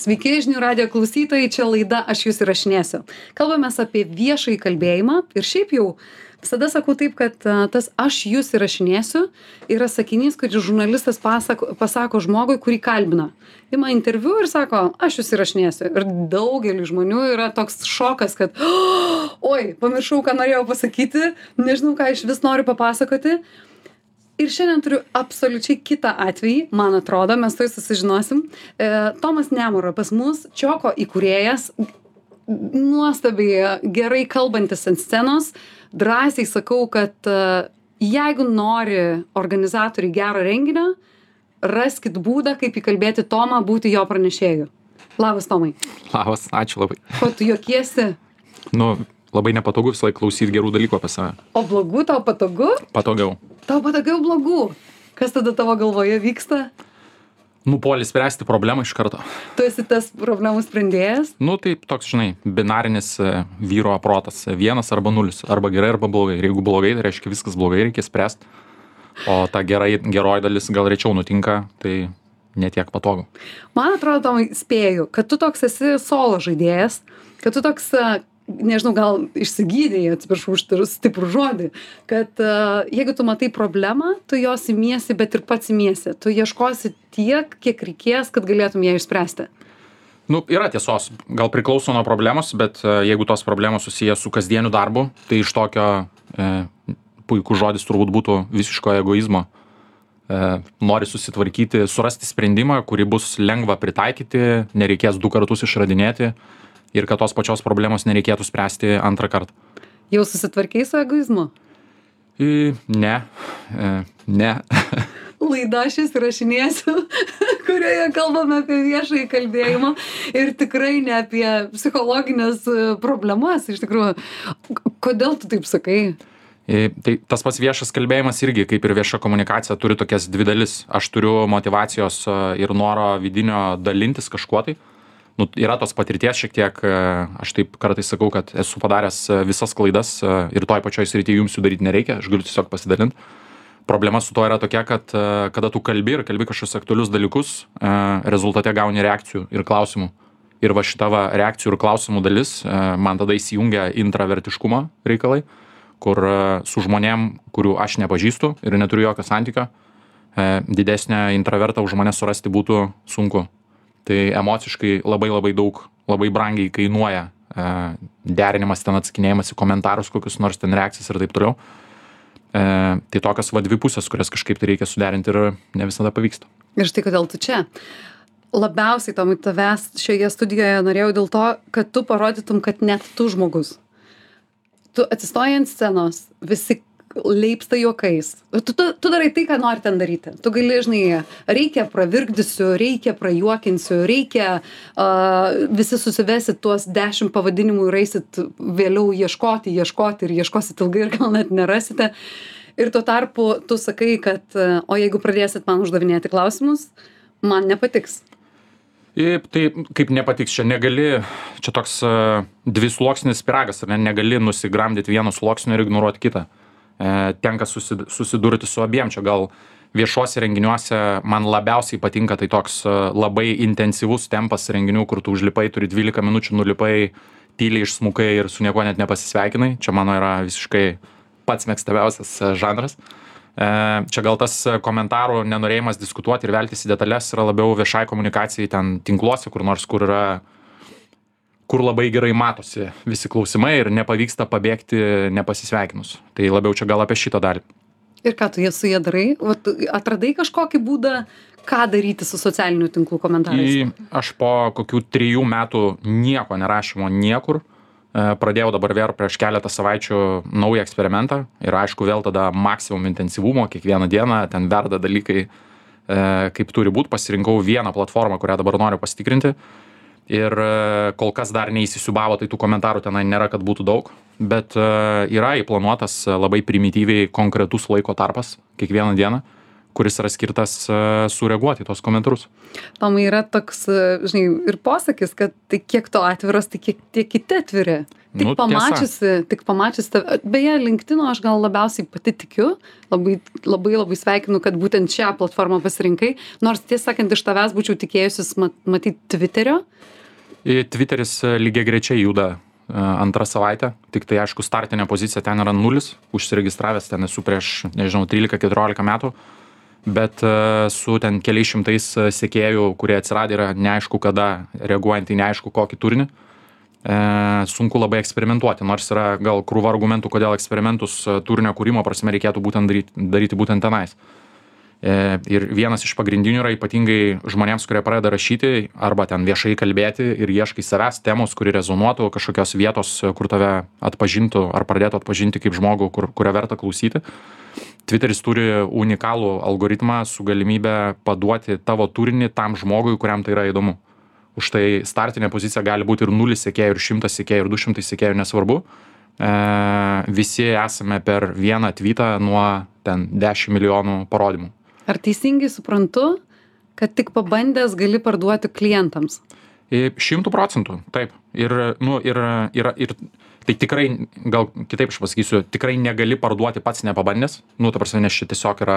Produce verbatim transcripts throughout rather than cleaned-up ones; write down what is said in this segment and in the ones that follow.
Sveiki, žinių radijo klausytojai, čia laida Aš jūs įrašinėsiu. Kalbamės apie viešąjį kalbėjimą ir šiaip jau visada sakau taip, kad a, tas Aš jūs įrašinėsiu yra sakinys, kurį žurnalistas pasako, pasako žmogui, kurį kalbina. Ima interviu ir sako, aš jūs įrašinėsiu. Ir daugeliu žmonių yra toks šokas, kad oh, oi, pamiršau, ką norėjau pasakyti, nežinau, ką iš vis noriu papasakoti. Ir šiandien turiu absoliučiai kitą atvejį, man atrodo, mes to susižinosim. E, Tomas Nemura pas mus, Čioko įkūrėjas, nuostabiai gerai kalbantis ant scenos. Drąsiai sakau, kad e, jeigu nori organizatoriai gero renginio, raskit būdą, kaip įkalbėti Tomą būti jo pranešėju. Labas, Tomai. Labas, ačiū labai. Ko tu juokiesi? Nu, labai nepatogu visą laiką klausyti gerų dalykų apie save. O blogų tau patogu? Patogiau. Tau patogiau blogų. Kas tada tavo galvoje vyksta? Nu, puoli spręsti problemą iš karto. Tu esi tas problemų sprendėjas? Nu, tai toks, žinai, binarinis e, vyro protas. Vienas arba nulis. Arba gerai, arba blogai. Ir jeigu blogai, tai reiškia viskas blogai, reikia spręsti. O ta gerai, geroji dalis gal rečiau nutinka, tai netiek patogu. Man atrodo, Tomai, spėju, kad tu toks esi solo žaidėjas, kad tu toks, nežinau, gal išsigydėjai, atsiprašau už stiprų žodį, kad uh, jeigu tu matai problemą, tu jos imiesi, bet ir pats imiesi. Tu ieškosi tiek, kiek reikės, kad galėtum ją išspręsti. Nu, yra tiesos. Gal priklauso nuo problemos, bet uh, jeigu tos problemos susiję su kasdieniu darbu, tai iš tokio e, puikų žodis turbūt būtų visiško egoizmo. E, nori susitvarkyti, surasti sprendimą, kurį bus lengva pritaikyti, nereikės du kartus išradinėti. Ir kad tos pačios problemos nereikėtų spręsti antrą kartą. Jau susitvarkei su egoizmu? I, ne. E, ne. Laida Aš jūs įrašinėsiu, kurioje kalbame apie viešąjį kalbėjimą ir tikrai ne apie psichologinės problemas. Iš tikrųjų, kodėl tu taip sakai? I, tai tas pats viešas kalbėjimas irgi, kaip ir vieša komunikacija, turi tokias dvi dalis. Aš turiu motyvacijos ir noro vidinio dalintis kažkuo tai. Nu, yra tos patirties šiek tiek, aš taip kartais sakau, kad esu padaręs visas klaidas ir toj pačioj srityje jums jų daryti nereikia, aš galiu tiesiog pasidalinti. Problema su to yra tokia, kad kada tu kalbi ir kalbi kažkokius aktualius dalykus, rezultate gauni reakcijų ir klausimų. Ir va šita va reakcijų ir klausimų dalis man tada įsijungia intravertiškumo reikalai, kur su žmonėm, kurių aš nepažįstu ir neturiu jokio santykio, didesnę intravertą už mane surasti būtų sunku. Tai emociškai labai labai daug, labai brangiai kainuoja e, derinimas, ten atsakinėjimas į komentarus, kokius nors ten reakcijas ir taip toliau. E, tai tokios va dvi pusės, kurias kažkaip tai reikia suderinti ir ne visada pavyksta. Ir štai kodėl tu čia. Labiausiai, Tomai, tavęs šioje studijoje norėjau dėl to, kad tu parodytum, kad net tu žmogus. Tu atsistoji ant scenos, visi leipsta juokais. Tu, tu, tu darai tai, ką nori ten daryti. Tu gali, žinai, reikia pravirkdysiu, reikia prajuokinsiu, reikia uh, visi susivesit tuos dešimt pavadinimų ir eisit vėliau ieškoti, ieškoti ir ieškosit ilgai ir gal net nerasite. Ir tuo tarpu tu sakai, kad uh, o jeigu pradėsit man uždavinėti klausimus, man nepatiks. Ir tai kaip nepatiks, čia negali, čia toks uh, dvisluoksnis pyragas, ar ne, negali nusigramdyti vieno sluoksnio ir ignoruoti kitą. Tenka susidurti su abiem. Čia gal viešuose renginiuose man labiausiai patinka tai toks labai intensyvus tempas renginių, kur tu užlipai, turi dvylika minučių, nulipai, tyliai išsmukai ir su niekuo net nepasisveikinai. Čia mano yra visiškai pats mėgstamiausias žanras. Čia gal tas komentarų nenorėjimas diskutuoti ir veltis į detalės yra labiau viešai komunikacijai ten tinkluose, kur nors, kur yra kur labai gerai matosi visi klausimai ir nepavyksta pabėgti nepasisveikinus. Tai labiau čia gal apie šitą dalį. Ir ką tu jie su jie darai? Vat, atradai kažkokį būdą, ką daryti su socialinių tinklų komentarais? Į, aš po kokių trijų metų nieko nerašymo niekur. Pradėjau dabar vėl prieš keletą savaičių naują eksperimentą. Ir aišku, vėl tada maksimum intensyvumo, kiekvieną dieną ten verda dalykai, kaip turi būti. Pasirinkau vieną platformą, kurią dabar noriu pasitikrinti. Ir kol kas dar neįsisiubavo, tai tų komentarų tenai nėra, kad būtų daug, bet yra įplanuotas labai primityviai konkretus laiko tarpas kiekvieną dieną, kuris yra skirtas sureaguoti į tos komentarus. Tomai, yra toks, žinai, ir posakis, kad tai kiek to atviras, tai kiek tie kiti atviri. Tik Nu, tiesa. pamačiusi, tik pamačiusi, tave- beje, LinkedIn'o aš gal labiausiai pati tikiu, labai, labai, labai sveikinu, kad būtent šią platformą pasirinkai, nors tiesą sakant, iš tavęs būčiau tikėjusis mat, matyti Twitterio. I Twitteris e, lygiai grečiai juda e, antrą savaitę, tik tai aišku startinė pozicija ten yra nulis, užsiregistravęs ten esu prieš, nežinau, trylika keturiolika metų, bet e, su ten keliais šimtais e, sekėjų, kurie atsiradė yra neaišku kada, reaguojant į neaišku kokį turinį, e, sunku labai eksperimentuoti, nors yra gal krūva argumentų, kodėl eksperimentus e, turinio kūrimo prasme reikėtų būtent daryti, daryti būtent tenais. E, ir vienas iš pagrindinių yra ypatingai žmonėms, kurie pradeda rašyti arba ten viešai kalbėti ir ieškai savęs temos, kuri rezonuotų, kažkokios vietos, kur tave atpažintų ar pradėtų atpažinti kaip žmogų, kur, kurią verta klausyti. Twitteris turi unikalų algoritmą su galimybė paduoti tavo turinį tam žmogui, kuriam tai yra įdomu. Už tai startinė pozicija gali būti ir nulis sekėjų, ir šimtas sekėjų, ir du šimtai sekėjų, nesvarbu. E, visi esame per vieną tweetą nuo ten dešimt milijonų parodymų. Ar teisingai suprantu, kad tik pabandęs gali parduoti klientams? Šimtų procentų, taip. Ir, nu, ir, ir, ir tai tikrai, gal kitaip aš pasakysiu, tikrai negali parduoti pats nepabandęs. Nu, ta prasme, nes čia tiesiog yra...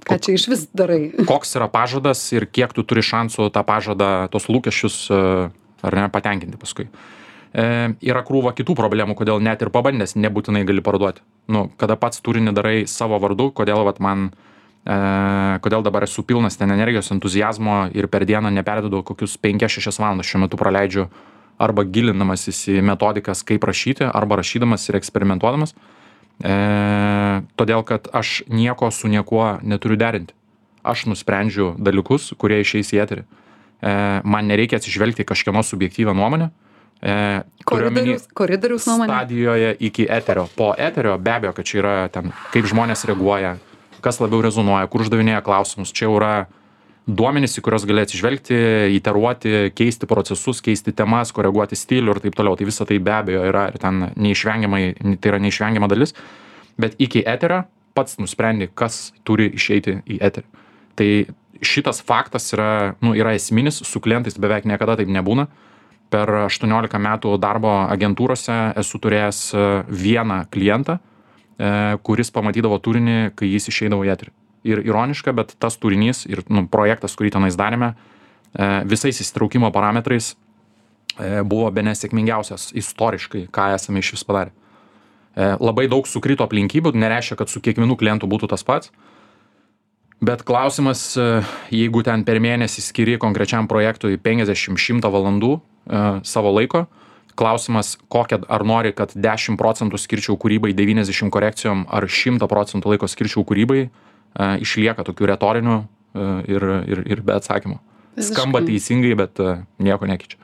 Ką čia iš vis darai? Koks yra pažadas ir kiek tu turi šansų tą pažadą, tos lūkesčius, ar ne, patenkinti paskui. E, yra krūva kitų problemų, kodėl net ir pabandęs nebūtinai gali parduoti. Nu, kada pats turinį darai savo vardu, kodėl vat man... E, kodėl dabar esu pilnas ten energijos, entuzijazmo ir per dieną neperdedu kokius penkias šešias valandas šiuo metu praleidžiu arba gilindamasis į metodikas, kaip rašyti, arba rašydamas ir eksperimentuodamas. E, todėl, kad aš nieko su niekuo neturiu derinti. Aš nusprendžiu dalykus, kurie išeis į eterį. E, man nereikia atsižvelgti kažkieno subjektyvę nuomonę. E, koridorius, koridorius nuomonė. Stadijoje iki eterio. Po eterio be abejo, kad čia yra ten, kaip žmonės reaguoja, kas labiau rezonuoja, kur uždavinėja klausimus. Čia yra duomenys, į kurios gali atsižvelgti, iteruoti, keisti procesus, keisti temas, koreguoti stilių ir taip toliau. Tai visa tai be abejo yra ir ten neišvengiamai, tai yra neišvengiama dalis. Bet iki eterio pats nusprendi, kas turi išeiti į eterį. Tai šitas faktas yra, nu, yra esminis, su klientais beveik niekada taip nebūna. Per aštuoniolika metų darbo agentūrose esu turėjęs vieną klientą, kuris pamatydavo turinį, kai jis išeidavo į eterį. Ir ironiška, bet tas turinys ir nu, projektas, kurį tenais darėme, visais įsitraukimo parametrais buvo bene sėkmingiausias istoriškai, ką esame iš vis padarę. Labai daug sukrito aplinkybių, nereiškia, kad su kiekvienu klientu būtų tas pats. Bet klausimas, jeigu ten per mėnesį skiri konkrečiam projektui penkiasdešimt šimtą valandų savo laiko, klausimas, kokią, ar nori, kad dešimt procentų skirčiau kūrybai, devyniasdešimt korekcijom, ar šimtą procentų laiko skirčiau kūrybai, e, išlieka tokių retorinių e, ir, ir, ir be atsakymų. Skamba teisingai, bet e, nieko nekeičia.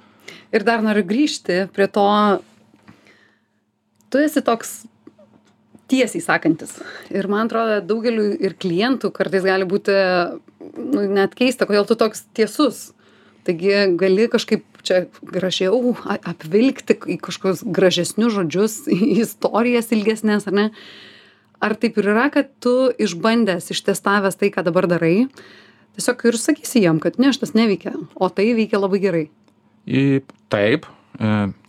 Ir dar noriu grįžti prie to, tu esi toks tiesiai sakantis. Ir man atrodo, daugeliu ir klientų kartais gali būti nu, net keista, kodėl tu toks tiesus. Taigi gali kažkaip čia gražiau apvilkti į kažkokius gražesnius žodžius, į istorijas ilgesnės, ar ne? Ar taip ir yra, kad tu išbandęs, ištestavęs tai, ką dabar darai, tiesiog ir sakysi jam, kad ne, šitas neveikia, o tai veikia labai gerai? Į, taip,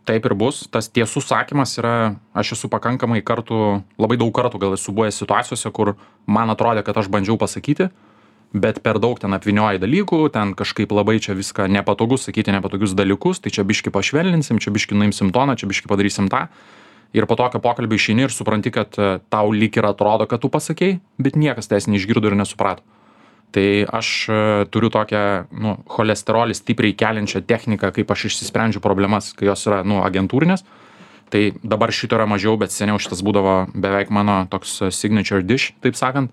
taip ir bus. Tas tiesų sakymas yra, aš esu pakankamai kartų, labai daug kartų gal esu buvęs situacijose, kur man atrodė, kad aš bandžiau pasakyti, bet per daug ten apvynioji dalykų, ten kažkaip labai čia viską nepatogu sakyti nepatogius dalykus, tai čia biški pašvelninsim, čia biški nuimsim toną, čia biški padarysim tą. Ir po tokio pokalbio išeini ir supranti, kad tau lyg ir atrodo, kad tu pasakei, bet niekas tais neišgirdo ir nesuprato. Tai aš turiu tokią, nu, cholesterolį stipriai keliančią techniką, kaip aš išsisprendžiu problemas, kai jos yra, nu, agentūrinės. Tai dabar šito yra mažiau, bet seniau šitas būdavo beveik mano toks signature dish, taip sakant.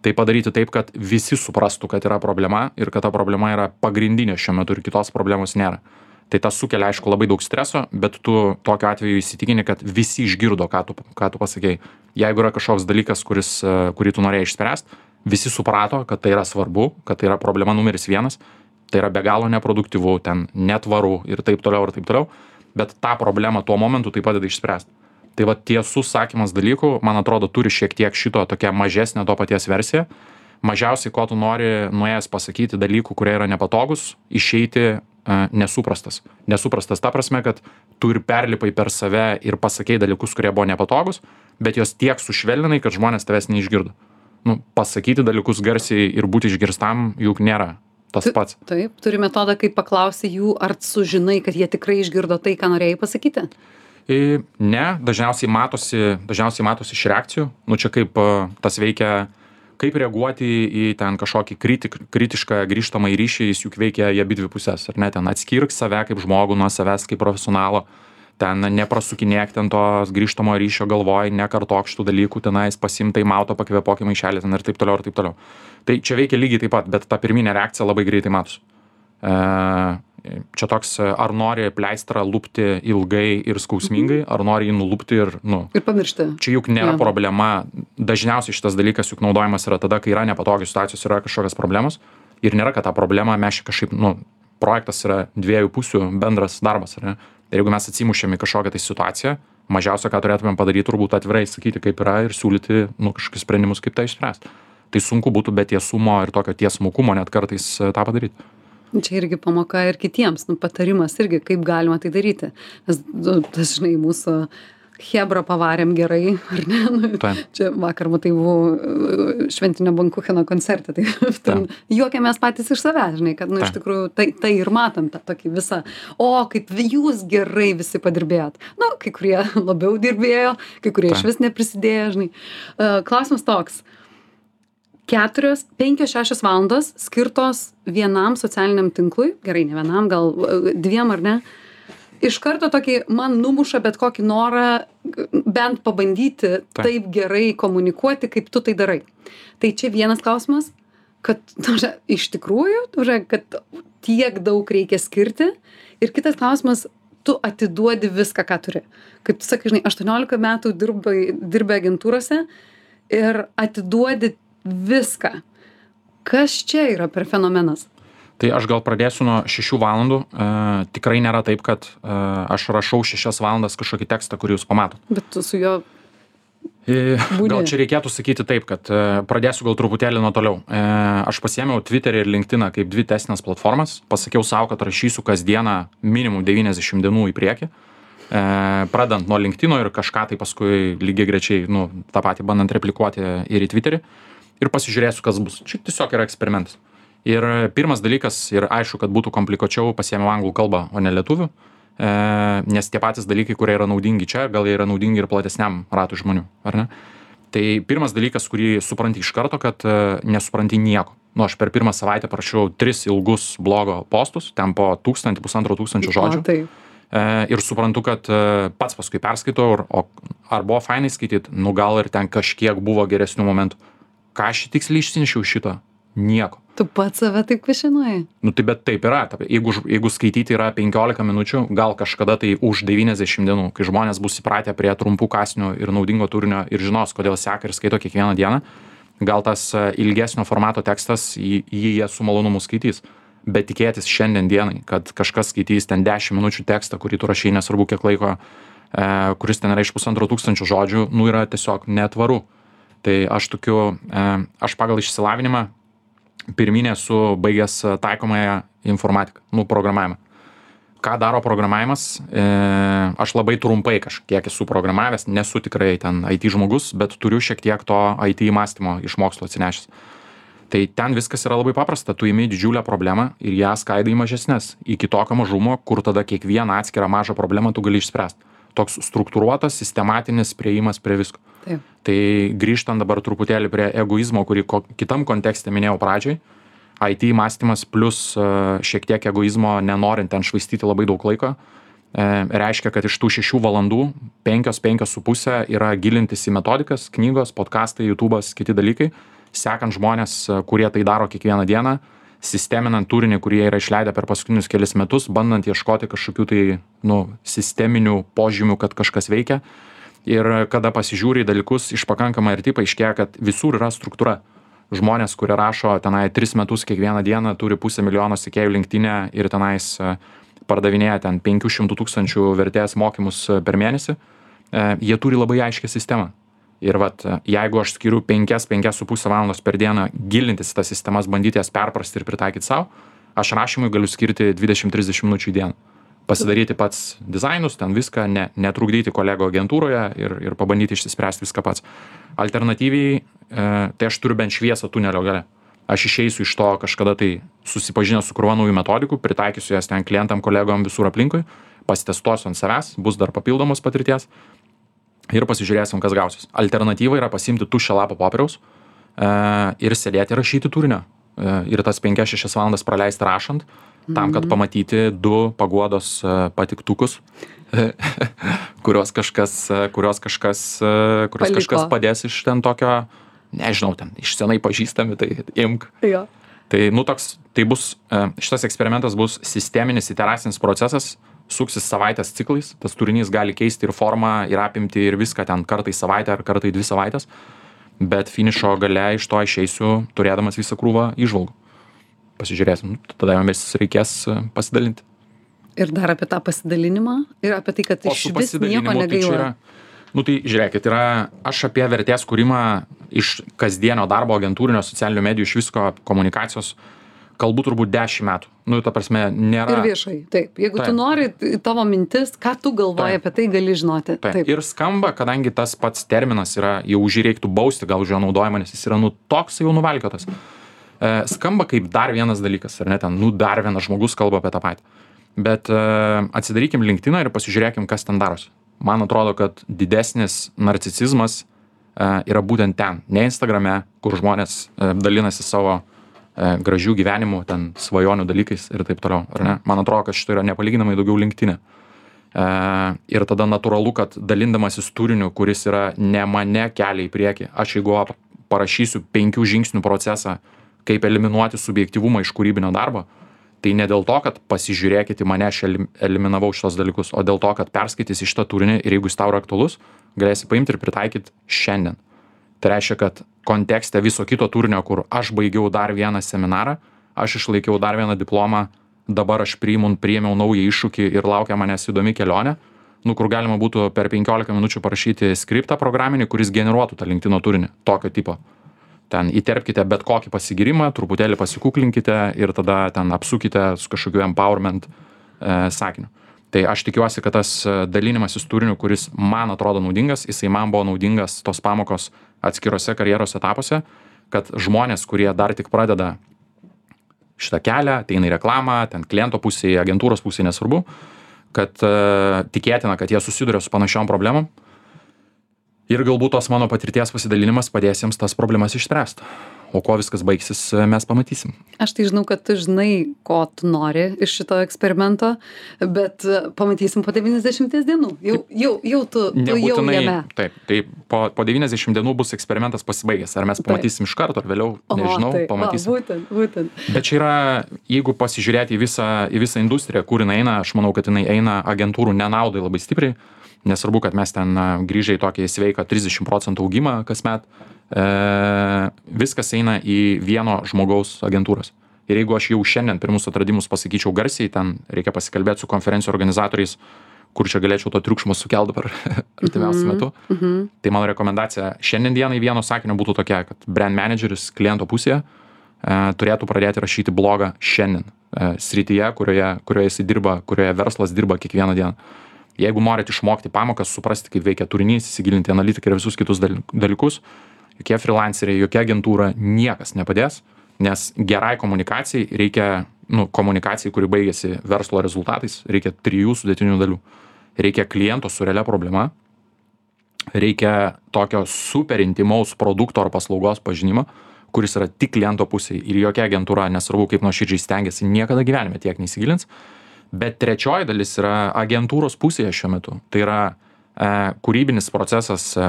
Tai padaryti taip, kad visi suprastų, kad yra problema ir kad ta problema yra pagrindinė šiuo metu ir kitos problemos nėra. Tai tas sukelia, aišku, labai daug streso, bet tu tokiu atveju įsitikini, kad visi išgirdo, ką tu, ką tu pasakei. Jeigu yra kažkoks dalykas, kuris, kurį tu norėjai išspręsti, visi suprato, kad tai yra svarbu, kad tai yra problema numeris vienas, tai yra be galo neproduktyvu, ten netvaru ir taip toliau ir taip toliau, bet tą problemą tuo momentu tai padeda išspręsti. Tai va tiesus sakymas dalykų, man atrodo, turi šiek tiek šito tokia mažesnė to paties versija. Mažiausiai, ko tu nori nuėjęs pasakyti dalykų, kurie yra nepatogus, išeiti nesuprastas. Nesuprastas ta prasme, kad tu ir perlipai per save ir pasakei dalykus, kurie buvo nepatogus, bet jos tiek sušvelninai, kad žmonės tavęs neišgirdo. Nu, pasakyti dalykus garsiai ir būti išgirstam juk nėra tas pats. Taip, turi metodą, kaip paklausi jų, ar sužinai, kad jie tikrai išgirdo tai, ką norėjai pasakyti? Ne, dažniausiai matosi, dažniausiai matosi iš reakcijų. Nu, čia kaip tas veikia, kaip reaguoti į ten kažkokį kritik, kritišką grįžtamą į ryšį, jis juk veikia į abidvi pusės, ar ne, ten atskirk save kaip žmogų nuo savęs kaip profesionalo, ten neprasukinėk ten tos grįžtamo ryšio galvoj, nekartok šitų dalykų, tenais pasimk taimauto, pakvėpok į maišelį ten ir taip toliau ir taip toliau. Tai čia veikia lygiai taip pat, bet ta pirminė reakcija labai greitai matosi. E, čia toks, ar nori pleistrą lupti ilgai ir skausmingai, ar nori jį nulupti ir, nu... Ir pamiršti. Čia juk nėra ja. problema. Dažniausiai šitas dalykas juk naudojamas yra tada, kai yra nepatogios situacijos, yra kažkokios problemos. Ir nėra, kad tą problemą mes kažkaip, nu, projektas yra dviejų pusių bendras darbas, ar ne? Ir jeigu mes atsimušėm į kažkokią tai situaciją, mažiausia, ką turėtumėm padaryti, turbūt atvirai sakyti, kaip yra ir siūlyti, nu, kažkokius sprendimus, kaip tai išspręsti. Tai sunku būtų be tiesumo ir tokio tiesmukumo net kartais tą padaryti. Čia irgi pamoka ir kitiems, nu, patarimas irgi, kaip galima tai daryti. Nes, nu, tas, žinai, mūsų Hebra pavarėm gerai, ar ne? Nu, čia vakar, matai, buvau šventinio bankucheno koncerte, tai ten juokėmės patys iš savęs, žinai, kad, nu, iš tikrųjų, tai, tai ir matom tą tokį visą, o, kaip jūs gerai visi padirbėjot. Nu, kai kurie labiau dirbėjo, kai kurie iš vis neprisidėjo, žinai. Klausimas toks. Keturios, penkios, šešios valandos skirtos vienam socialiniam tinklui, gerai, ne vienam, gal dviem ar ne, iš karto tokį man numuša bet kokį norą bent pabandyti taip, taip gerai komunikuoti, kaip tu tai darai. Tai čia vienas klausimas, kad tužia, iš tikrųjų, tužia, kad tiek daug reikia skirti. Ir kitas klausimas, tu atiduodi viską, ką turi. Kaip tu sakai, žinai, aštuoniolika metų dirbai, dirbai agentūrose ir atiduodi viską. Kas čia yra per fenomenas? Tai aš gal pradėsiu nuo šešių valandų. E, tikrai nėra taip, kad e, aš rašau šešias valandas kažkokį tekstą, kurį jūs pamatot. Bet tu su juo... E, gal čia reikėtų sakyti taip, kad e, pradėsiu gal truputėlį nuo toliau. E, aš pasiėmiau Twitterį ir LinkedIną kaip dvi testinės platformas. Pasakiau savo, kad rašysiu kasdieną minimum devyniasdešimt dienų į priekį. E, pradant nuo LinkedIno ir kažką tai paskui lygiai grečiai, nu, tą patį bandant replikuoti ir į Twitterį. Ir pasižiūrėsiu, kas bus. Čia tiesiog yra eksperimentas. Ir pirmas dalykas, ir aišku, kad būtų komplikuočiau, pasiėmiau anglų kalbą, o ne lietuvių, e, nes tie patys dalykai, kurie yra naudingi čia, gal jie yra naudingi ir platesniam ratui žmonių, ar ne? Tai pirmas dalykas, kurį supranti iš karto, kad e, nesupranti nieko. Nu, aš per pirmą savaitę parašiau tris ilgus blogo postus, ten po tūkstantį, pusantro tūkstančio žodžių. O, tai. E, ir suprantu, kad e, pats paskui perskaitau, ar, o, ar buvo fainai skaityti, nu gal ir ten kažkiek buvo geresnių momentų. Ką aš tiksliai išsinešiau šito? Nieko. Tu pats save taip kvešinuoji? Nu tai bet taip yra. Jeigu, jeigu skaityti yra penkiolika minučių, gal kažkada tai už devyniasdešimt dienų, kai žmonės bus įpratę prie trumpų kąsnių ir naudingo turinio ir žinos, kodėl seka ir skaito kiekvieną dieną, gal tas ilgesnio formato tekstas jį, jį jie su malonumu skaitys. Bet tikėtis šiandien dienai, kad kažkas skaitys ten dešimt minučių tekstą, kurį tu rašai, nesvarbu kiek laiko, e, kuris ten yra iš pusantro tūkstančio žodžių, nu yra tiesiog netvaru. Tai aš tokiu, e, aš pagal išsilavinimą pirminė esu baigęs taikomąją informatiką, nu, programavimą. Ką daro programavimas? E, aš labai trumpai kažkiek esu programavęs, nesu tikrai ten I T žmogus, bet turiu šiek tiek to I T mąstymo iš mokslo atsinešęs. Tai ten viskas yra labai paprasta, tu imi didžiulę problemą ir ją skaidai į mažesnes, iki tokio mažumo, kur tada kiekvieną atskirą mažą problemą tu gali išspręsti. Toks struktūruotas, sistematinis priėjimas prie visko. Taip. Tai grįžtant dabar truputėlį prie egoizmo, kurį ko, kitam kontekste minėjau pradžioj, I T mąstymas plus uh, šiek tiek egoizmo, nenorint ten švaistyti labai daug laiko, e, reiškia, kad iš tų šešių valandų penkios, penkios su pusė yra gilintis į metodikas, knygos, podcastai, YouTube'as, kiti dalykai, sekant žmonės, kurie tai daro kiekvieną dieną, sisteminant turinį, kurie yra išleidę per paskutinius kelis metus, bandant ieškoti kažkokių tai, nu, sisteminių požymių, kad kažkas veikia. Ir kada pasižiūri į dalykus iš pakankamai arti, paaiškėja, kad visur yra struktūra. Žmonės, kurie rašo tenai tris metus kiekvieną dieną, turi pusę milijono sekėjų LinkedIn'e ir tenais pardavinėja ten penkių šimtų tūkstančių vertės mokymus per mėnesį, jie turi labai aiškią sistemą. Ir vat, jeigu aš skiriu penkias, penkias su pusę valandos per dieną gilintis į tas sistemas, bandyti jas perprasti ir pritaikyti savo, aš rašymui galiu skirti dvidešim trisdešim minučių į dieną. Pasidaryti pats dizainus, ten viską, ne, netrukdyti kolego agentūroje ir, ir pabandyti išsispręsti viską pats. Alternatyviai, e, tai aš turiu bent šviesą tunelio gale. Aš išeisiu iš to kažkada tai susipažinęs su krūva naujų metodikų, pritaikysiu jas ten klientam, kolegom visur aplinkui, pasitestuosiu ant savęs, bus dar papildomos patirties ir pasižiūrėsim, kas gausis. Alternatyva yra pasiimti tuščią lapą popieriaus e, ir sėdėti ir rašyti turinio. E, ir tas penkias šešias valandas praleisti rašant, tam, kad pamatyti du paguodos e, patiktukus, kurios kažkas, kurios kažkas, kurios Paliko. kažkas padės iš ten tokio, nežinau, ten iš senai pažįstami, tai imk. Jo. Tai, nu, toks, tai bus, e, šitas eksperimentas bus sisteminis iteracinis procesas, suksis savaitės ciklais, tas turinys gali keisti ir formą, ir apimti, ir viską ten kartą į savaitę ar kartą į dvi savaitės, bet finišo gale iš to išeisiu, turėdamas visą krūvą įžvalgų. Pasižiūrėsim, tada jomis reikės pasidalinti. Ir dar apie tą pasidalinimą, ir apie tai, kad O iš su vis nieko pasidalinimu tai čia negaila. yra, nu tai žiūrėkit, yra, aš apie vertės kūrimą iš kasdienio darbo agentūrinio socialinių medijų, iš visko komunikacijos, kalbu turbūt dešimt metų. Nu, ta prasme, nėra... Ir viešai, taip. Jeigu Taip. tu nori, tavo mintis, ką tu galvoji Taip. apie tai, gali žinoti. Taip. Taip. Ir skamba, kadangi tas pats terminas yra, jau už jį reiktų bausti, gal už jo naudojimą, nes jis yra, nu, toks jau nuvalkiotas. E, skamba kaip dar vienas dalykas, ar ne, ten, nu, dar vienas žmogus kalba apie tą patį. Bet e, atsidarykim LinkedIną ir pasižiūrėkim, kas ten darosi. Man atrodo, kad didesnis narcisizmas e, yra būtent ten, ne Instagrame, kur žmonės e, dalinasi savo e, gražių gyvenimų, ten svajonių dalykais ir taip toliau, ar ne? Man atrodo, kad šito yra nepalyginamai daugiau LinkedIne. E, ir tada natūralu, kad dalindamasis turiniu, kuris yra ne mane kelia į priekį, aš jeigu parašysiu penkių žingsnių procesą, kaip eliminuoti subjektyvumą iš kūrybinio darbo, tai ne dėl to, kad pasižiūrėkit į mane, aš elim- eliminavau šitos dalykus, o dėl to, kad perskaitysi šitą turinį ir jeigu jis tau yra aktualus, galėsi paimti ir pritaikyti šiandien. Tai reiškia, kad kontekste viso kito turinio, kur aš baigiau dar vieną seminarą, aš išlaikiau dar vieną diplomą, dabar aš priimu, priėmiau naują iššūkį ir laukia manęs įdomi kelionė, nu, kur galima būtų per penkiolika minučių parašyti skriptą programinį, kuris generuotų tą LinkedIn turinį, tokio tipo. Ten įterpkite bet kokį pasigirimą, truputėlį pasikuklinkite ir tada ten apsukite su kažkokiu empowerment e, sakiniu. Tai aš tikiuosi, kad tas dalinimasis turiniu, kuris man atrodo naudingas, jisai man buvo naudingas tos pamokos atskirose karjeros etapuose, kad žmonės, kurie dar tik pradeda šitą kelią, ateina į reklamą, ten kliento pusėje, agentūros pusėje, nesvarbu, kad e, tikėtina, kad jie susiduria su panašiom problemom. Ir galbūt tos mano patirties pasidalinimas padės jiems tas problemas išspręsti. O kuo viskas baigsis, mes pamatysim. Aš tai žinau, kad tu žinai, ko tu nori iš šito eksperimento, bet pamatysim po devyniasdešimties dienų. Jau, jau, jau tu, tu jau jame. Taip, tai po, po devyniasdešimt dienų bus eksperimentas pasibaigęs. Ar mes pamatysim iš karto, ar vėliau, nežinau, o, tai, pamatysim. O, būtent, būtent. Bet čia yra, jeigu pasižiūrėti į visą, į visą industriją, kur jinai eina, aš manau, kad jinai eina agentūrų nenaudai labai stipriai. Nesvarbu, kad mes ten grįžę į tokį sveiką trisdešimt procentų augimą kasmet, e, viskas eina į vieno žmogaus agentūras. Ir jeigu aš jau šiandien pirmus atradimus pasakyčiau garsiai, ten reikia pasikalbėti su konferencijų organizatoriais, kur čia galėčiau to triukšmo sukelti per artimiausiu Mhm, metu. mhm. Tai mano rekomendacija šiandien dienai vieno sakinio būtų tokia, kad brand manageris kliento pusėje e, turėtų pradėti rašyti blogą šiandien e, srityje, kurioje, kurioje jis dirba, kurioje verslas dirba kiekvieną dieną. Jeigu norit išmokti pamokas, suprasti, kaip veikia turinys, įsigilinti analitiką ir visus kitus dalykus, jokie freelanceriai, jokia agentūra, niekas nepadės, nes gerai komunikacijai reikia, nu, komunikacijai, kuri baigėsi verslo rezultatais, reikia trijų sudėtinių dalių. Reikia kliento su realia problema, reikia tokio super intimaus produkto ar paslaugos pažinimo, kuris yra tik kliento pusėje ir jokia agentūra, nesvarbu kaip nuoširdžiai stengiasi, niekada gyvenime tiek neįsigilins. Bet trečioji dalis yra agentūros pusėje šiuo metu. Tai yra e, kūrybinis procesas, e,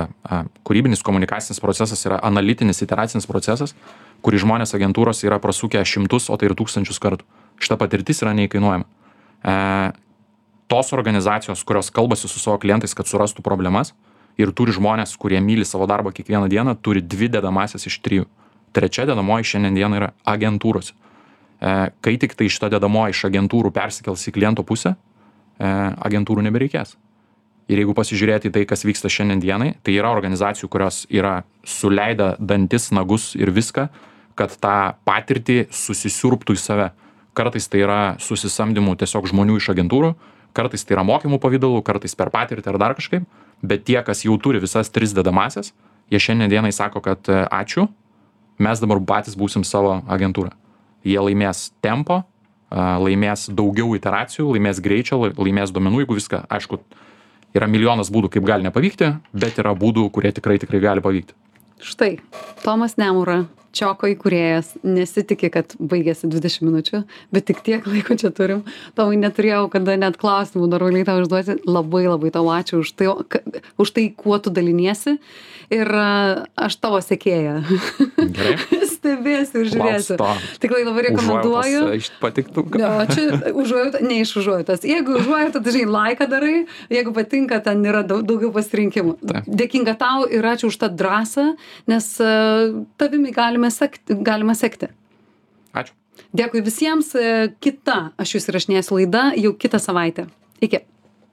kūrybinis komunikacinis procesas yra analitinis, iteracinis procesas, kurį žmonės agentūros yra prasukę šimtus, o tai ir tūkstančius kartų. Šita patirtis yra neįkainuojama. E, tos organizacijos, kurios kalbasi su savo klientais, kad surastų problemas ir turi žmonės, kurie myli savo darbą kiekvieną dieną, turi dvi dedamasias iš trijų. Trečia dedamoji šiandien dieną yra agentūros. Kai tik tai šita dedamoji iš agentūrų persikels į kliento pusę, agentūrų nebereikės. Ir jeigu pasižiūrėti į tai, kas vyksta šiandien dienai, tai yra organizacijų, kurios yra suleidę dantis, nagus ir viską, kad tą patirtį susisiurbtų į save, kartais tai yra susisamdymų tiesiog žmonių iš agentūrų, kartais tai yra mokymų pavidalų, kartais per patirtį ar dar kažkaip, bet tie, kas jau turi visas tris dedamąsias, jie šiandien dienai sako, kad ačiū, mes dabar patys būsim savo agentūra. Jie laimės tempo, laimės daugiau iteracijų, laimės greičio, laimės duomenų, jeigu viską, aišku, yra milijonas būdų, kaip gali nepavykti, bet yra būdų, kurie tikrai tikrai gali pavykti. Štai, Tomas Nemura, Čioko įkūrėjas, nesitiki, kad baigėsi dvidešimt minučių, bet tik tiek laiko čia turim. Tomai, neturėjau kada net klausimų normaliai tau užduoti. Labai labai tau ačiū už tai, už tai, kuo tu daliniesi. Ir aš tavo sekėja. Gerai. Stebėsiu ir žiūrėsiu. Tikrai labai rekomenduoju. Iš patiktų. Ne, čia užuojauta, ne iš užuojautos. Jeigu užuojauta, tai žinai, laiką darai. Jeigu patinka, ten yra daug, daugiau pasirinkimų. Taip. Dėkinga tau ir ačiū už tą drąsą, nes uh, tavimi galime sekti, galima sekti. Ačiū. Dėkui visiems. Kita, aš jūs įrašinėsiu laida jau kitą savaitę. Iki.